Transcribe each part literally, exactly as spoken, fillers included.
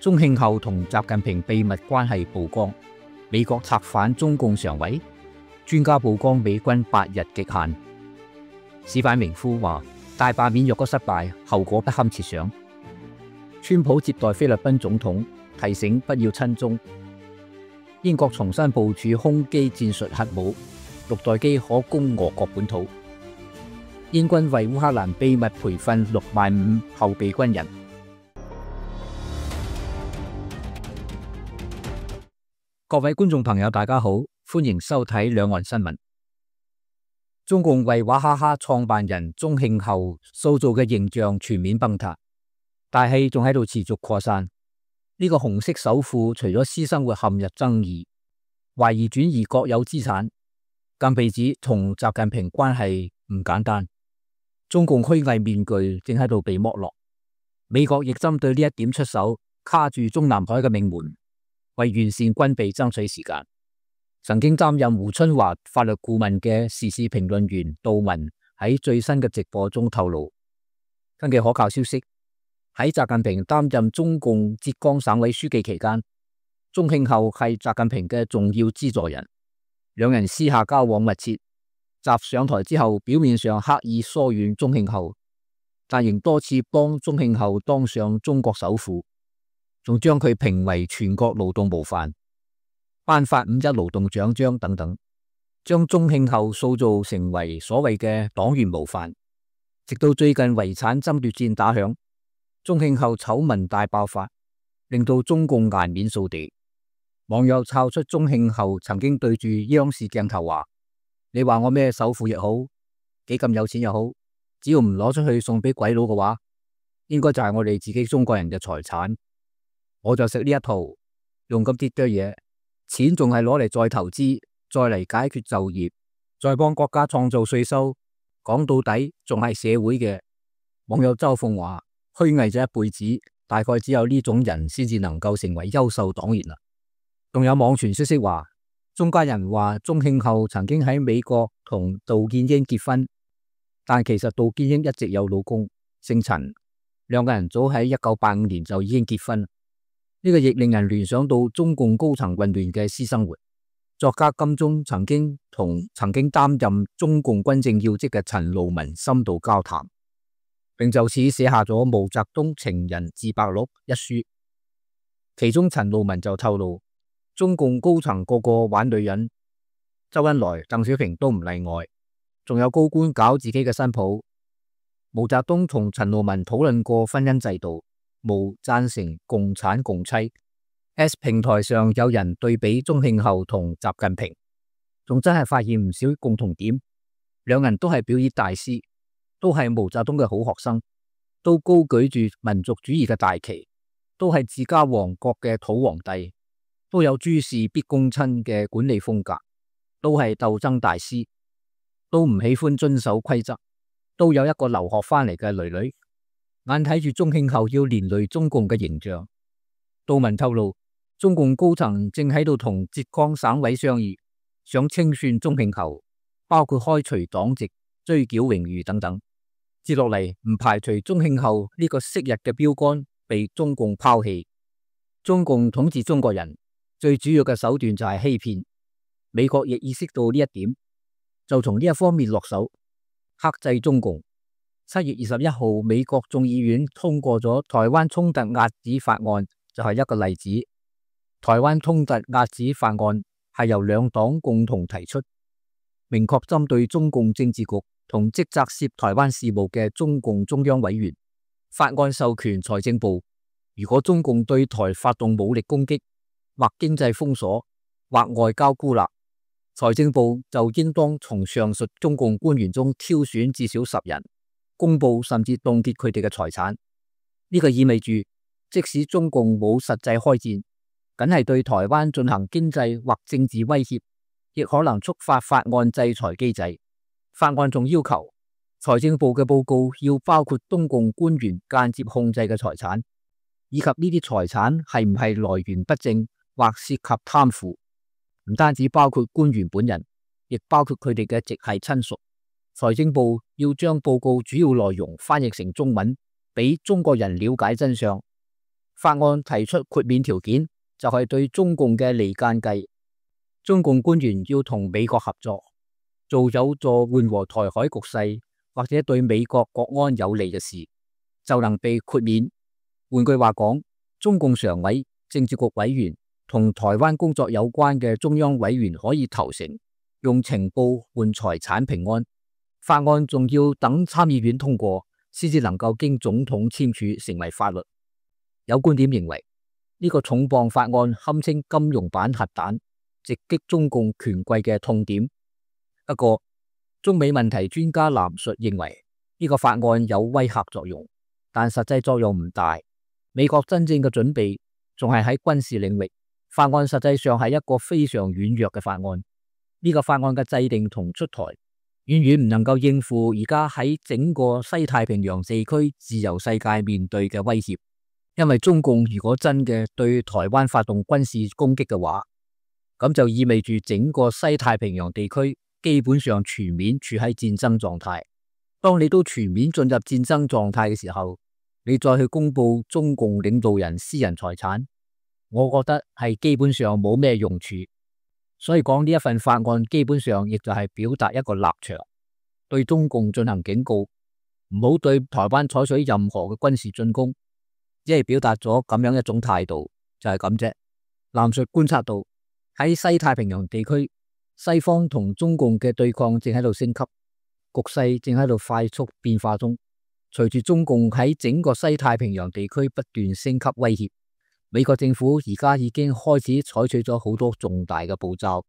中慶後同習近平秘密關係曝光，美國策反中共常委，專家曝光美軍八日極限。史反明夫話大罷免若果失敗，後果不堪設想。川普接待菲律賓總統，提醒不要親中。英國重新部署空基戰術核武，六代機可攻俄國本土。英軍為烏克蘭秘密培訓六萬五後備軍人。各位觀眾朋友，大家好，歡迎收睇兩岸新聞。中共為娃哈哈創辦人中慶後塑造嘅形象全面崩塌，大戲仲喺度持續擴散。呢、這個紅色首富除咗私生活陷入爭議，懷疑轉移國有資產，更被指同習近平關係唔簡單。中共虛偽面具正喺度被剝落，美國亦針對呢一點出手，卡住中南海嘅命門，為完善軍備爭取時間。曾經擔任胡春華法律顧問嘅時事評論員杜文喺最新嘅直播中透露，根據可靠消息，喺習近平擔任中共浙江省委書記期間，中慶後係習近平嘅重要資助人，兩人私下交往密切。習上台之後，表面上刻意疏遠中慶後，但仍多次幫中慶後當上中國首富，仲將佢評為全國勞動模範，頒發五一勞動獎章等等，將中慶後塑造成為所謂嘅黨員模範。直到最近遺產爭奪戰打響，中慶後醜聞大爆發，令到中共顏面掃地。網友抄出中慶後曾經對住央視鏡頭話：你話我咩首富亦好，幾咁有錢又好，只要唔攞出去送俾鬼佬嘅話，應該就係我哋自己中國人嘅財產。我就食呢一套，用咁啲堆嘢，錢仲係攞嚟再投資，再嚟解決就業，再幫國家創造稅收，講到底仲係社會嘅。網友周鳳話：虛偽咗一輩子，大概只有呢種人先至能夠成為優秀黨員啦。仲有網傳消息話，中間人話中慶後曾經喺美國同杜建英結婚，但其實杜建英一直有老公姓陳，兩個人早喺一九八五年就已經結婚。呢、這個亦令人聯想到中共高層混亂嘅私生活。作家金鐘曾經同曾經擔任中共軍政要職嘅陳路文深度交談，並就此寫下咗《毛澤東情人自白錄》一書。其中陳路文就透露，中共高層個個玩女人，周恩來、鄧小平都唔例外，仲有高官搞自己嘅新抱。毛澤東同陳路文討論過婚姻制度，無贊成共產共妻。S 平台上有人對比中慶後同習近平，仲真係發現唔少共同點。兩人都係表演大師，都係毛澤東嘅好學生，都高舉住民族主義嘅大旗，都係自家王國嘅土皇帝，都有諸事必躬親嘅管理風格，都係鬥爭大師，都唔喜歡遵守規則，都有一個留學翻嚟嘅女女。眼睇住中慶後要連累中共嘅形象，杜文透露，中共高層正喺度同浙江省委商議，想清算中慶後，包括開除黨籍、追繳榮譽等等。接落嚟唔排除中慶後呢個昔日嘅標杆被中共拋棄。中共統治中國人最主要嘅手段就係欺騙，美國亦意識到呢一點，就從呢一方面落手克制中共。七月二十一號，美國眾議院通過咗台灣衝突遏止法案，就係一個例子。台灣衝突遏止法案係由兩黨共同提出，明確針對中共政治局同職責涉台灣事務嘅中共中央委員。法案授權財政部，如果中共對台發動武力攻擊，或經濟封鎖，或外交孤立，財政部就應當從上述中共官員中挑選至少十人，公布甚至凍結佢哋嘅財產。呢個意味住，即使中共冇實際開戰，僅係對台灣進行經濟或政治威脅，亦可能觸發法案制裁機制。法案仲要求財政部嘅報告要包括中共官員間接控制嘅財產，以及呢啲財產係唔係來源不正或涉及貪腐。唔單止包括官員本人，亦包括佢哋嘅直系親屬。財政部要將報告主要內容翻譯成中文，俾中國人了解真相。法案提出豁免條件，就係對中共嘅離間計。中共官員要同美國合作，做有助緩和台海局勢或者對美國國安有利嘅事，就能被豁免。換句話講，中共常委、政治局委員同台灣工作有關嘅中央委員可以投誠，用情報換財產平安。法案仲要等參議院通過，先至能夠經總統簽署成為法律。有觀點認為，呢、這個重磅法案堪稱金融版核彈，直擊中共權貴嘅痛點。不過，中美問題專家藍述認為，呢、這個法案有威嚇作用，但實際作用唔大。美國真正嘅準備仲係喺軍事領域，法案實際上係一個非常軟弱嘅法案。呢、這個法案嘅制定同出台，遠遠唔能夠應付而家喺整個西太平洋地區自由世界面對嘅威脅。因為中共如果真嘅對台灣發動軍事攻擊嘅話，咁就意味住整個西太平洋地區基本上全面處喺戰爭狀態。當你都全面進入戰爭狀態嘅時候，你再去公布中共領導人私人財產，我覺得係基本上冇咩用處。所以講呢一份法案基本上亦就係表達一個立場，對中共進行警告，唔好對台灣採取任何嘅軍事進攻，只係表達咗咁樣一種態度，就係咁啫。藍述觀察到喺西太平洋地區，西方同中共嘅對抗正喺度升級，局勢正喺度快速變化中。隨住中共喺整個西太平洋地區不斷升級威脅，美國政府而家已經開始採取咗好多重大嘅步驟，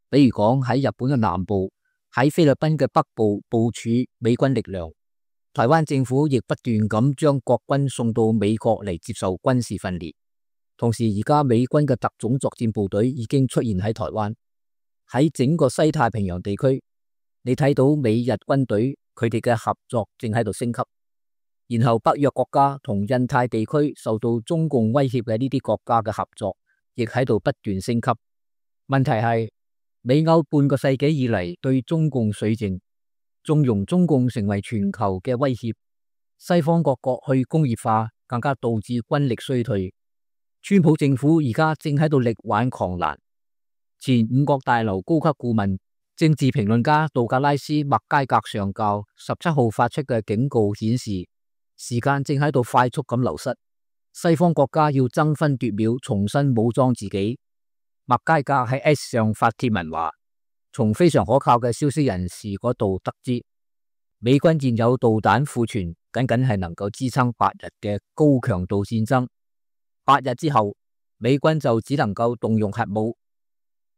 比如講喺日本嘅南部、喺菲律賓嘅北部部署美軍力量，台灣政府亦不斷咁將國軍送到美國嚟接受軍事訓練。同時，而家美軍嘅特種作戰部隊已經出現喺台灣，喺整個西太平洋地區，你睇到美日軍隊佢哋嘅合作正喺度升級。然後北約國家同印太地區受到中共威脅嘅呢啲國家嘅合作，亦喺度不斷升級。問題係美歐半個世紀以嚟對中共綏靖，縱容中共成為全球嘅威脅。西方各國去工業化，更加導致軍力衰退。川普政府而家正喺度力挽狂瀾。前五角大樓高級顧問、政治評論家杜格拉斯·麥佳格上校十七號發出嘅警告顯示，時間正喺度快速咁流失，西方國家要爭分奪秒重新武裝自己。麥佳格喺 X 上發帖文話，從非常可靠嘅消息人士嗰度得知，美軍現有導彈庫存僅僅係能夠支撐八日嘅高強度戰爭，八日之後美軍就只能夠動用核武。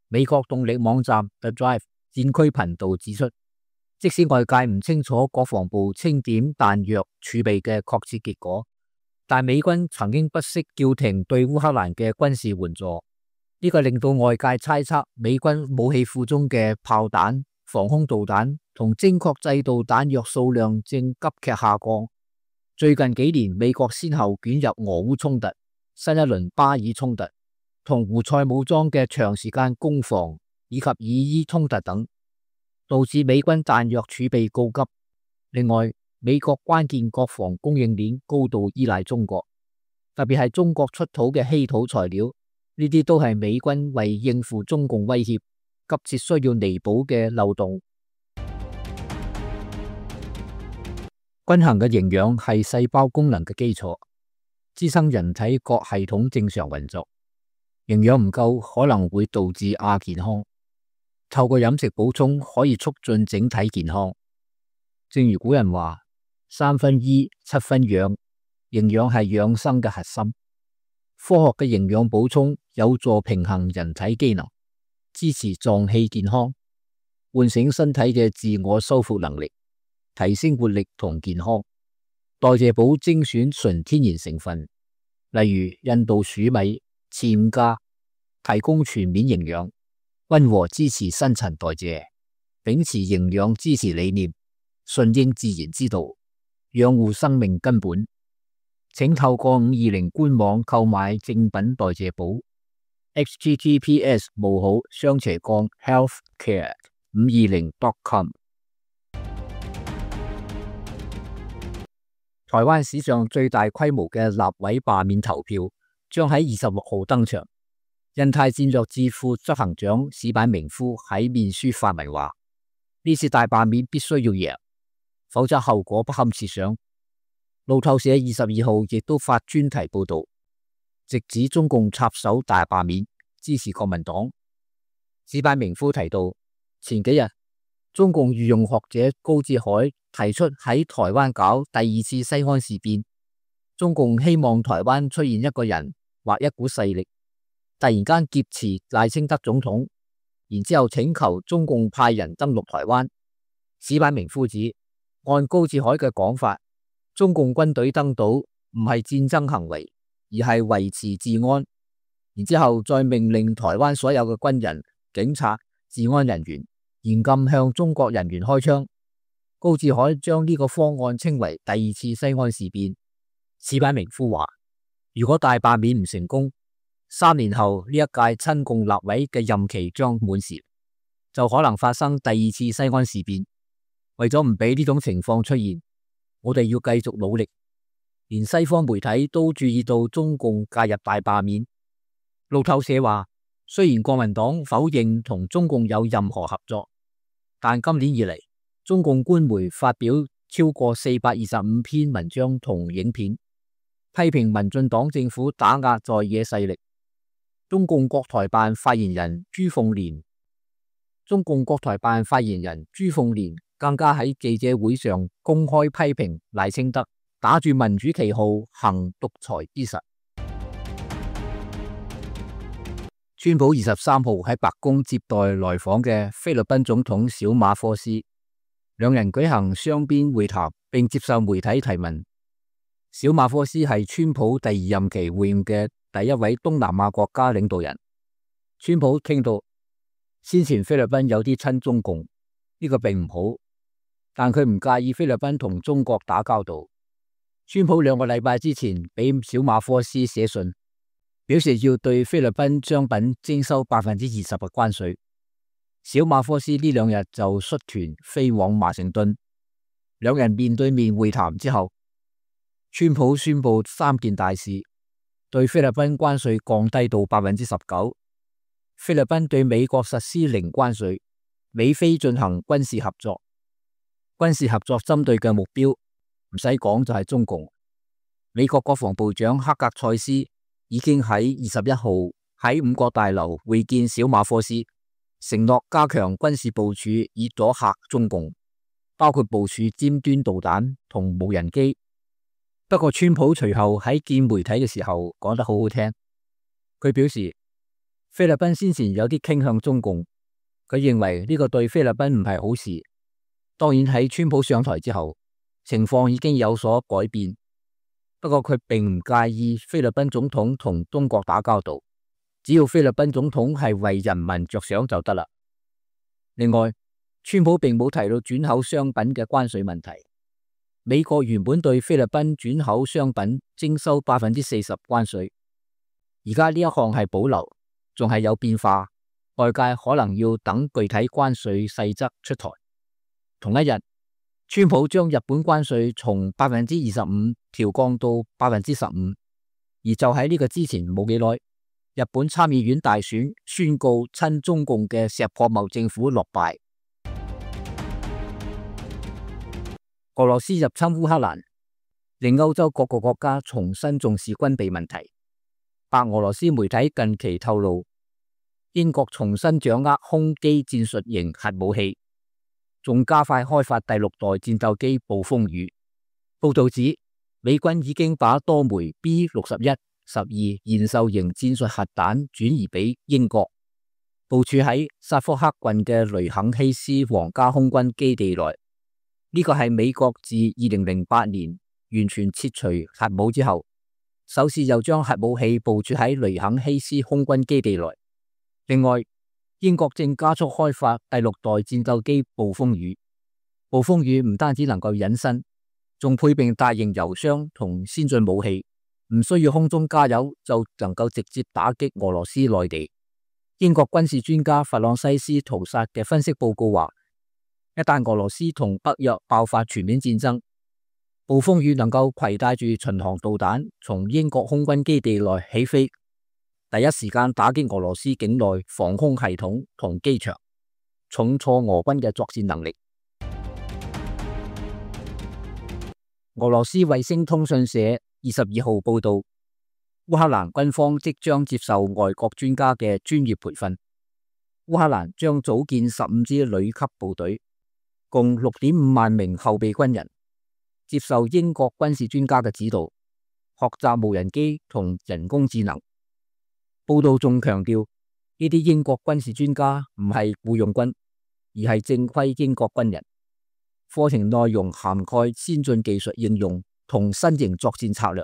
美國動力網站 The Drive 戰區頻道指出，即使外界唔清楚國防部清點彈藥儲備嘅確切結果，但美軍曾經不惜叫停對烏克蘭嘅軍事援助，呢、這個令到外界猜測美軍武器庫中嘅炮彈、防空導彈同精確制導彈藥數量正急劇下降。最近幾年，美國先後捲入俄烏衝突、新一輪巴以衝突同胡塞武裝嘅長時間攻防以及以伊衝突等，導致美軍彈藥儲備告急。另外，美國關鍵國防供應鏈高度依賴中國，特別係中國出土嘅稀土材料，呢啲都係美軍為應付中共威脅急切需要彌補嘅漏洞。均衡嘅營養係細胞功能嘅基礎，支撐人體各系統正常運作。營養唔夠可能會導致亞健康。透過飲食補充可以促進整體健康。正如古人話，三分醫，七分養，營養係養生嘅核心。科學嘅營養補充有助平衡人體機能，支持臟器健康，喚醒身體嘅自我修復能力，提升活力同健康。代謝寶精選純天然成分，例如印度黍米、暹加，提供全面營養，溫和支持新陳代謝，秉持營養支持理念，順應自然之道，養護生命根本。請透過五二零官網購買正品代謝寶 ：H T T P S 冒號雙斜槓 healthcare 五二零 dot com。台灣史上最大規模嘅立委罷免投票將喺二十六號登場。印太戰略智庫執行長矢板明夫喺面書發文話：呢次大罷免必須要贏，否則後果不堪設想。路透社二十二號亦都發專題報道，直指中共插手大罷免，支持國民黨。矢板明夫提到，前幾日中共御用學者高志海提出喺台灣搞第二次西安事變，中共希望台灣出現一個人或一股勢力，突然間劫持賴清德總統，然之後請求中共派人登陸台灣。矢板明夫指，按高志海嘅講法，中共軍隊登島唔係戰爭行為，而係維持治安，然之後再命令台灣所有嘅軍人、警察、治安人員嚴禁向中國人員開槍。高志海將呢個方案稱為第二次西安事變。矢板明夫話，如果大罷免唔成功，三年後呢一屆親共立委嘅任期將滿時，就可能發生第二次西安事變。為咗唔俾呢種情況出現，我哋要繼續努力。連西方媒體都注意到中共介入大罷免。路透社話，雖然國民黨否認同中共有任何合作，但今年以嚟，中共官媒發表超過四百二十五篇文章同影片，批評民進黨政府打壓在野勢力。中共國台辦發言人朱鳳蓮，中共國台辦發言人朱鳳蓮更加喺記者會上公開批評賴清德打住民主旗號行獨裁之實。川普二十三號喺白宮接待來訪嘅菲律賓總統小馬科斯，兩人舉行雙邊會談，並接受媒體提問。小馬科斯係川普第二任期會晤嘅第一位東南亞國家領導人。川普傾到先前菲律賓有啲親中共，呢個並唔好，但佢唔介意菲律賓同中國打交道。川普兩個禮拜之前俾小馬科斯寫信，表示要對菲律賓商品徵收百分之二十嘅關稅。小馬科斯呢兩日就率團飛往華盛頓，兩人面對面會談之後，川普宣布三件大事：對菲律賓關稅降低到百分之十九，菲律賓對美國實施零關稅，美菲進行軍事合作。軍事合作針對嘅目標唔使講就係中共。美國國防部長克格塞斯已經喺二十一號喺五角大樓會見小馬科斯，承諾加強軍事部署以阻嚇中共，包括部署尖端導彈同無人機。不過川普隨後喺見媒體嘅時候講得好好聽，佢表示菲律賓先前有啲傾向中共，佢認為呢個對菲律賓唔係好事。當然喺川普上台之後，情況已經有所改變。不過佢並唔介意菲律賓總統同中國打交道，只要菲律賓總統係為人民着想就得啦。另外，川普並冇提到轉口商品嘅關稅問題。美國原本對菲律賓轉口商品徵收百分之四十關稅，而家呢一項係保留，仲係有變化，外界可能要等具體關稅細則出台。同一日，川普將日本關稅從百分之二十五調降到百分之十五，而就喺呢個之前冇幾耐，日本參議院大選宣告親中共嘅石破茂政府落敗。俄羅斯入侵烏克蘭，令歐洲各個國家重新重視軍備問題。白俄羅斯媒體近期透露，英國重新掌握空基戰術型核武器，仲加快開發第六代戰鬥機暴風雨。報道指，美軍已經把多枚 B 六十一、十二延壽型戰術核彈轉移俾英國，部署喺薩福克郡嘅雷肯希斯皇家空軍基地內。呢個係美國自二零零八年完全撤除核武之後，首次又將核武器部署喺雷肯希斯空軍基地內。另外，英國正加速開發第六代戰鬥機暴風雨。暴風雨唔單止能夠隱身，仲配備大型油箱同先進武器，唔需要空中加油就能夠直接打擊俄羅斯內地。英國軍事專家弗朗西斯圖薩嘅分析報告話，一旦俄羅斯同北約爆發全面戰爭，暴風雨能夠攜帶住巡航導彈從英國空軍基地內起飛，第一時間打擊俄羅斯境內防空系統同機場，重挫俄軍嘅作戰能力。俄羅斯衛星通訊社二十二號報道，烏克蘭軍方即將接受外國專家嘅專業培訓。烏克蘭將組建十五支旅級部隊，共六點五萬名後備軍人，接受英國軍事專家嘅指導，學習無人機同人工智能。報道仲強調，呢啲英國軍事專家唔係僱傭軍，而係正規英國軍人。課程內容涵蓋先進技術應用同新型作戰策略。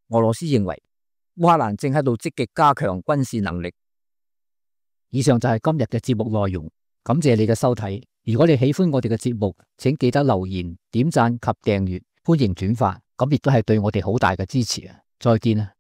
俄羅斯認為烏克蘭正喺度積極加強軍事能力。以上就係今日嘅節目內容，感謝你嘅收睇。如果你喜歡我哋嘅節目，請記得留言、點讚及訂閱，歡迎轉發，咁亦都係對我哋好大嘅支持啊！再見啊！